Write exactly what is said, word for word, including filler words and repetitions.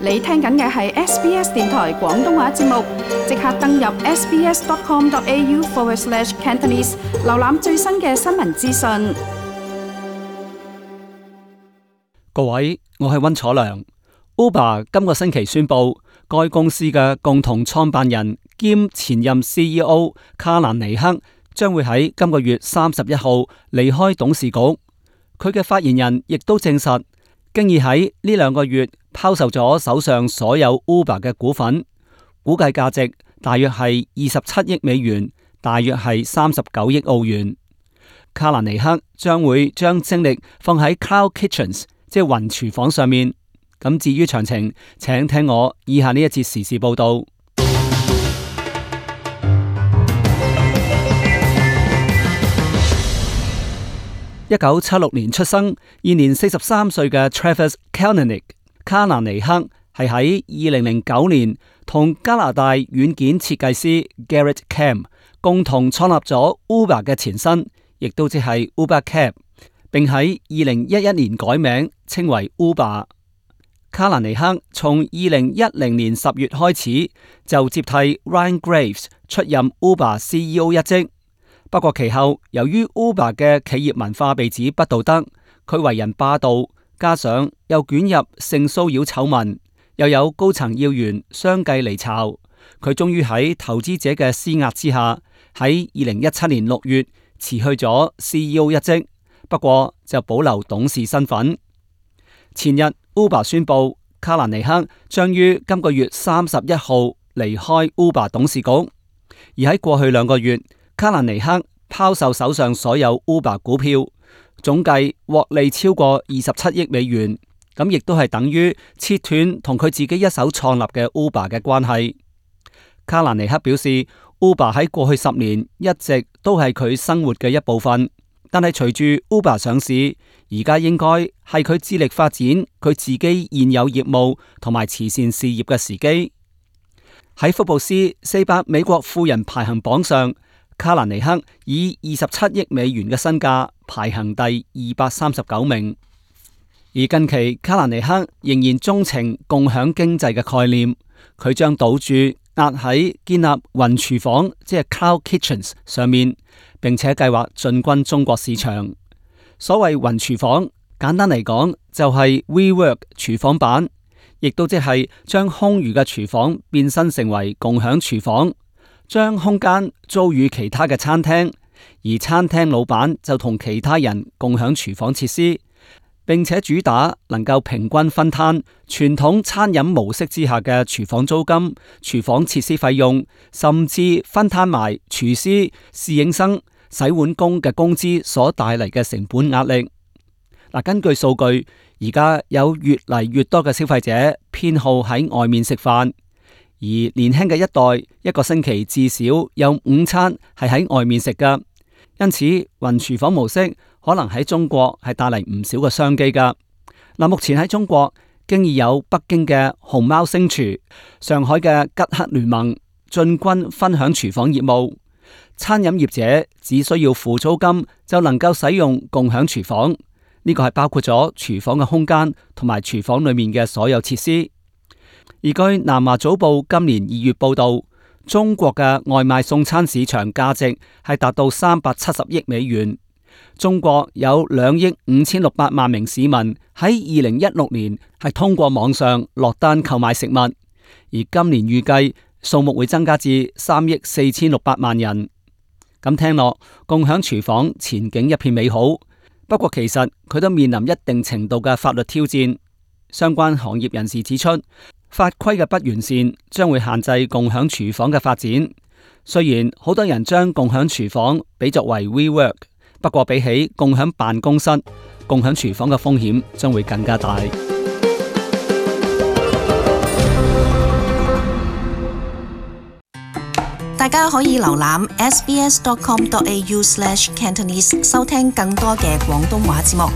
你聽緊嘅係 S B S 電台廣東話節目，即刻登入 sbs.com.au forward slash Cantonese， 瀏覽最新嘅新聞資訊。各位，我係溫楚良。Uber 今個星期宣布，該公司嘅共同創辦人兼前任 C E O 卡蘭尼克將會喺今個月三十一號離開董事局。佢嘅發言人亦都證實，經已喺呢兩個月拋售咗手上所有 Uber 嘅股份，估計價值大約係二十七億美元，大約係三十九億澳元。卡蘭尼克將會將精力放喺 Cloud Kitchens， 即係雲廚房上面。咁至於詳情，請聽我以下呢一節時事報道。一九七六年出生，現年四十三歲嘅 Travis Kalanick 卡蘭尼克係喺二零零九年同加拿大軟件設計師 Garrett Camp 共同創立咗 Uber 嘅前身，亦都即係 Uber Cab， 並喺二零一一年改名稱為 Uber。卡蘭尼克從二零一零年十月開始就接替 Ryan Graves 出任 Uber C E O 一職。不過其後由於 Uber 嘅企業文化被指不道德，佢為人霸道，加上又捲入性騷擾醜聞，又有高層要員相繼離巢，佢終於喺投資者嘅施壓之下，喺二零一七年六月辭去咗 C E O 一職，不過就保留董事身份。前日 Uber 宣布，卡蘭尼克將於今個月三十一號離開 Uber 董事局，而喺過去兩個月，卡蘭尼克拋售手上所有 Uber 股票，總計獲利超過二十七億美元，咁亦都係等於切斷同佢自己一手創立嘅 Uber 嘅關係。卡蘭尼克表示 ，Uber 喺過去十年一直都係佢生活嘅一部分，但係隨住 Uber 上市，而家應該係佢致力發展佢自己現有業務同埋慈善事業嘅時機。喺福布斯四百美國富人排行榜上，卡蘭尼克以二十七億美元嘅身價排行第二百三十九名。而近期卡蘭尼克仍然鍾情共享經濟嘅概念，佢將賭注壓喺建立雲廚房，即係 Cloud Kitchens 上面，並且計劃進軍中國市場。所謂雲廚房，簡單嚟講就係 WeWork 廚房版，亦都即係將空餘嘅廚房變身成為共享廚房，將空間租予其他嘅餐廳，而餐廳老闆就同其他人共享廚房設施，並且主打能夠平均分攤傳統餐飲模式之下嘅廚房租金、廚房設施費用，甚至分攤埋廚師、侍應生、洗碗工嘅工資所帶嚟嘅成本壓力。嗱，根據數據，而家有越嚟越多嘅消費者偏好喺外面食飯，而年輕嘅一代一個星期至少有午餐係喺外面食㗎，因此雲廚房模式可能喺中國係帶嚟唔少嘅商機㗎。嗱，目前喺中國經已有北京嘅熊貓星廚、上海嘅吉克聯盟進軍分享廚房業務。餐飲業者只需要付租金就能夠使用共享廚房，呢個係包括咗廚房嘅空間同埋廚房裏面嘅所有設施。而據南華早報今年二月報道，中國嘅外賣送餐市場價值係達到三百七十億美元。中國有兩億五千六百萬名市民喺二零一六年係通過網上落單購買食物，而今年預計數目會增加至三億四千六百萬人。咁聽落，共享廚房前景一片美好。不過其實佢都面臨一定程度嘅法律挑戰。相關行業人士指出，法規嘅不完善將會限制共享廚房嘅發展。雖然好多人將共享廚房比作為 WeWork， 不過比起共享辦公室，共享廚房嘅風險將會更加大。大家可以瀏覽 sbs.com.au slash Cantonese 收聽更多嘅廣東話節目。